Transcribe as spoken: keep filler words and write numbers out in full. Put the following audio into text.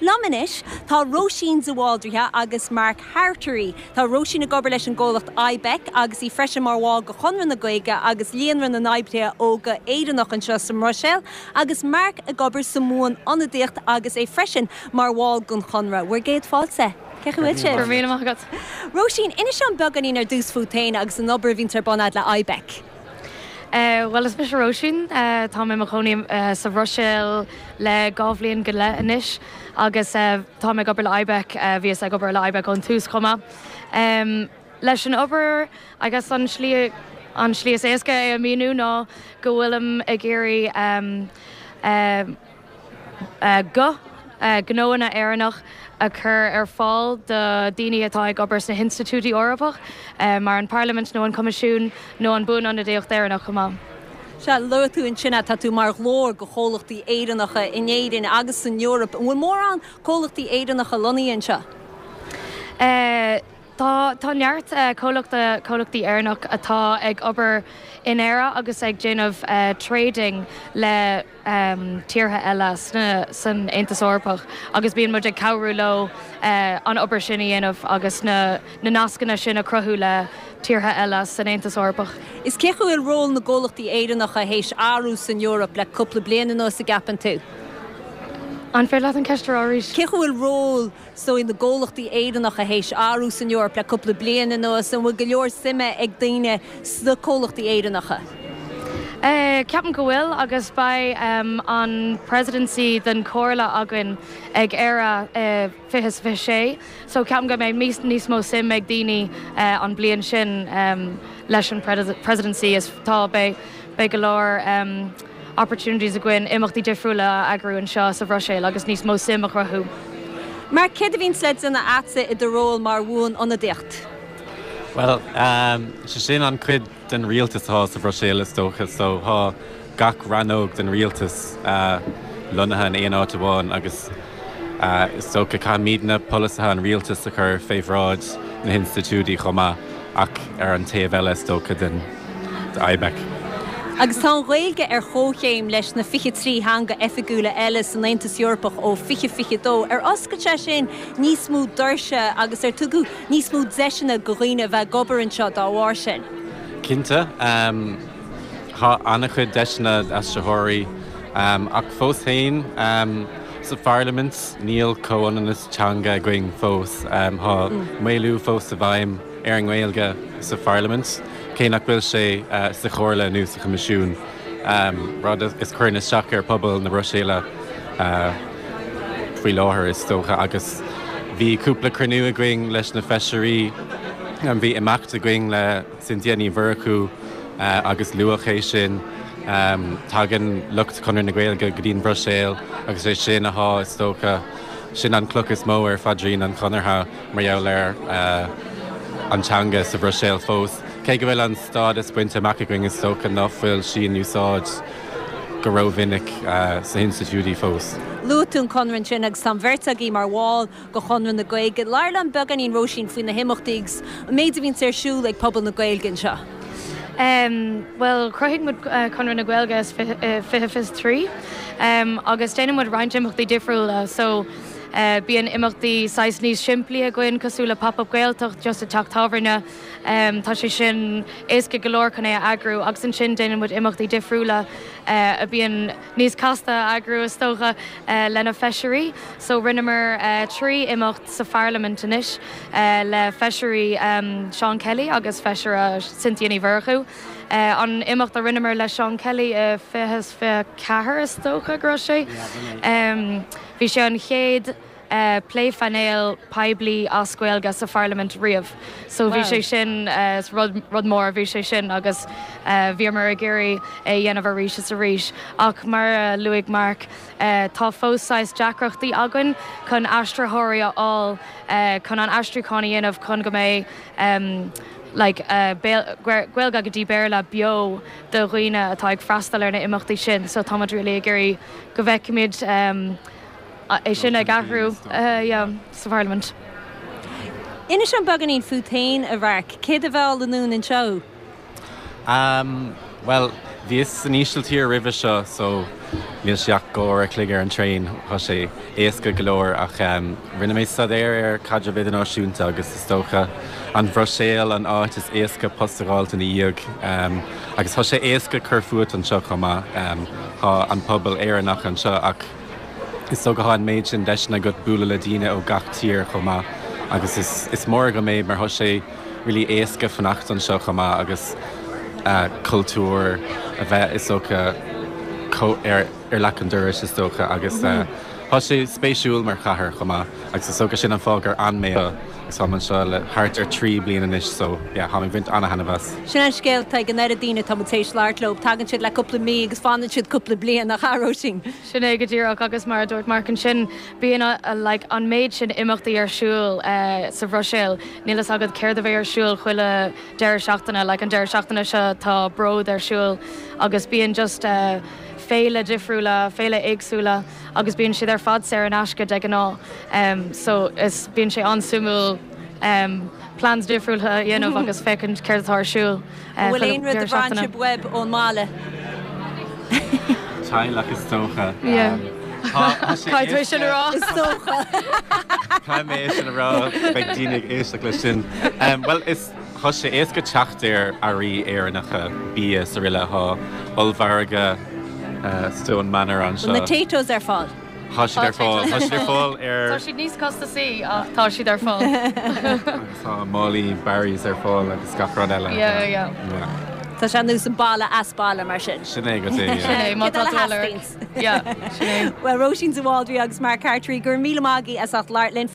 Liom anois tá Róisín de Bhaldraithe agus Mark Hartery. Tá Róisín ag obair leis an gcomhlacht IBEC agus í freisin mar bhall de Chonradh na Gaeilge agus Líonra na nOibrithe Óga Éireannach anseo sa mBruiséil, agus Mark ag obair sa mBuan-Ionadaíocht agus é freisin mar bhall den Chonradh. Bhur gcéad fáilte. Cén chaoi a bhfuil Mí agat. Róisín, inis dom beagáinín ar dtús fút féin agus an obair a bhíonn ar bun agat le IBEC. Uh, well is mise Róisín uh, tá mé i mo chónaí uh, sa Bhruiséil le dhá bhliain go leith anois agus uh, tá mé ag obair le IBEC uh, bhíos ag obair le IBEC ón tús chomh maith. Um, leis an obair agus an slí an slí is éasca é a mhíniú ná go bhfuilim ag iarraidh um, uh, uh, go uh, gnóanna Éireannach a chur ar fáil do daoine atá ag obair sna hinstitiúidí Eorpach, uh, mar an Parlaimint nó an Coimisiún nó an Bhuanionadaíocht Éireannach chomh maith. Sea luaigh tú ansin tá tú mar ghlór do chomhlachtaí Éireannacha in Éirinn agus san Eoraip, an bhfuil mórán comhlachtaí Éireannacha lonnaithe anseo. Uh, Tá tá neart uh, comhlachta comhlachtaí Éireannach atá ag obair in Éire agus ag déanamh uh, trading le um, tíortha eile sna san Aontas Eorpach agus bíonn muid ag cabhrú leo uh, an obair sin a dhéanamh agus na, na nascanna sin a chruthú le tíortha eile san Aontas Eorpach. Is cé bhfuil ról na gcomhlachtaí Éireannacha théis athrú san Eoraip le cúpla bliain anuas an gceapann tú. An féidir leat an ceist arís? Cé bhfuil ról so na gcomhlachtaí Éireannacha théis athrú san Eoraip le cúpla bliain anuas an bhfuil go leor suime ag daoine sna comhlachtaí Éireannacha. Uh, Ceapaim go bhfuil agus beidh um, an presidency den Chomhairle againn ag Éire uh, fiche fiche sé, so ceapaim go mbeidh níos mó suim ag daoine uh, an bliain sin um, leis an presidency is tá beidh beidh go leor um, opportunities againn imeachtaí difriúla a eagrú anseo sa Bhruiséil agus níos mó suim a chruthú. Mark céard a bhíonn le déanamh agatsa i do ról mar bhuan-ionadaíocht. Well, um, sé sin an cuid den rialtas atá sa Bhruiséil is dócha so tá gach rannóg den rialtas uh, lonnaithe in aon áit amháin agus uh, is dócha caithfimidne polasaithe an rialtas a chur fé bhráid na hinstitiúidí chomh maith ach ar an taobh eile is dócha den IBEC. Agus tá an Ghaeilge ar chomhchéim leis na fiche trí theanga oifigiúla eile san Aontas Eorpach ó fiche fiche dó ar oscail sé sin níos mó doirse agus ar tugadh níos mó deiseanna do dhaoine bheith ag obair anseo dá bharr sin. Cinnte um, tá an-chuid deiseanna aistritheoirí um, ach fós féin um, sa Pharlaimint níl comhionannas teanga againn fós um, tá mm. maolú fós i bhfeidhm ar an nGaeilge sa Pharlaimint, cé nach bhfuil sé uh, sa Chomhairle nó sa Choimisiún um, rud is chuireann isteach ar pobal na Bruiséile uh, faoi láthair is dócha agus bhí cúpla cruinniú againn leis na feisirí an bhí imeacht againn le Cynthia Ní Mhurchú uh, agus luadh é sin um, tagann lucht Chonradh na Gaeilge go dtí an Bhruiséil agus é sin atá is dócha sin an cloch is mó ar phaidrín an Chonartha mar gheall ar uh, an teanga sa Bhruiséil fós. Cé go bhfuil an stádas bainte amach againn is dócha nach bhfuil sí in úsáid go rómhinic uh, sna hinstitiúidí fós. Luaigh tú an Conradh sin agus tá beirt agaibh mar bhall de Chonradh na Gaeilge. Labhair liom beagáinín Róisín faoi na himeachtaí an méid a bhíonn ar siúl ag pobal na Gaeilge anseo. Um, well chruthaigh muid uh, Conradh na Gaeilge is fiche fiche trí um, agus déanann muid roinnt imeachtaí difriúla so uh, bíonn imeachtaí saghas níos simplí againn cosúil le pop-up Gaeltacht just i dteach tábhairne um, tá sé sin éasca go leor chun é a eagrú agus ansin déanann muid imeachtaí difriúla uh, a bíonn níos casta eagrú is dócha uh, lena feisirí, so rinneamar uh, trí imeacht sa Pharlaimint anois uh, le feisirí um, Seán Kelly agus feisire Cynthia Ní Mhurchú. Uh, an imeacht a rinneamar le Seán Kelly uh, fiche fiche ceathair is dócha go raibh sé. Um, Bhí sé an chéad uh, pléphainéal poiblí as Gaeilge sa Pharlaimint riamh. So bhí sé sin uh, rud, rud mór bhí sé sin agus uh, bhíomar ag iarraidh é dhéanamh arís is arís ach mar uh, luaigh Mark uh, tá fós deacrachtaí againn chun aistritheoirí a fháil uh, chun an aistriúchán a dhéanamh chun go mbeidh um, like, uh, Gaeilge go dtí Béarla beo do dhaoine atá ag freastal ar na imeachtaí sin, so táimid really ag iarraidh go bhfeicfimid um, é sin ag athrú uh, sa Pharlaimint. Inis dom beagáinín fút féin a Mhark, céard a mheall anonn anseo? Um, well, bhíos san Ísiltír roimhe seo so Níl sé ach dhá uair a chloig ar an traein tá sé éasca go leor ach um, rinne mé staidéar ar caidreamh idirnáisiúnta agus is dócha an Bhruiséil an áit is éasca post a fháil ina dhiaidh um, agus tá sé éasca cur fút anseo chomh maith um, tá an pobal Éireannach anseo ach is dócha tá an méid sin deiseanna agat bualadh le daoine ó gach tír chomh maith agus is, is mór go mé mar tá sé really éasca fanacht anseo chomh maith agus uh, cultúr a bheith is dócha ar ar leac an dorais is dócha agus uh, Tá sé spéisiúil mar chathair chomh maith agus is dócha sin an fáth gur fhan mé agus táim anseo le thart ar trí bliana anois so yeah, táim ag baint an-taitneamh as. Sin an scéal ag an oiread daoine atá tar éis labhairt leo, tagann siad le cúpla mí agus fanann siad cúpla bliain nach ea Róisín. Sin é go díreach agus mar a dúirt Mark ansin bíonn like, an méid sin imeachtaí ar siúl uh, sa Bhruiséil, Níl a fhios agat céard a bheidh ar siúl chuile deireadh seachtaine, like, an deireadh seachtaine seo tá bród ar siúl agus bíonn just uh, féile difriúla, féile éagsúla agus bíonn siad ar fad saor in aisce de ghnáth. Um, so is bíonn sé an-suimiúil um, plans difriúla a dhéanamh agus féachaint céard atá ar siúl. Uh, Bhfuil aon rud a bhain sibh uaibh ón mbaile. Teaghlach is dócha. Caithfidh sin a rá. Is dócha. Caithfidh mé sin a rá beidh daoine ag éisteacht leis sin. Um, well is Tá sé éasca teacht ar earraí Éireannacha bia sa rile tá ollmhargadh uh, Stone Manor anseo. Na Taytos ar fáil. Tá siad ar fáil Tá siad ar fáil ar Tá siad níos costasaí ach tá siad ar fáil. Tá málaí Barry's ar fáil agus gach rud eile. Yeah, yeah. Tá sé nós an baile as baile mar sin. Sin é go Sin é, má tá tú Sin Yeah, sin é. Well Róisín de Bhaldraithe agus Mark Hartery gur míle maith agaibh as ucht labhairt linn.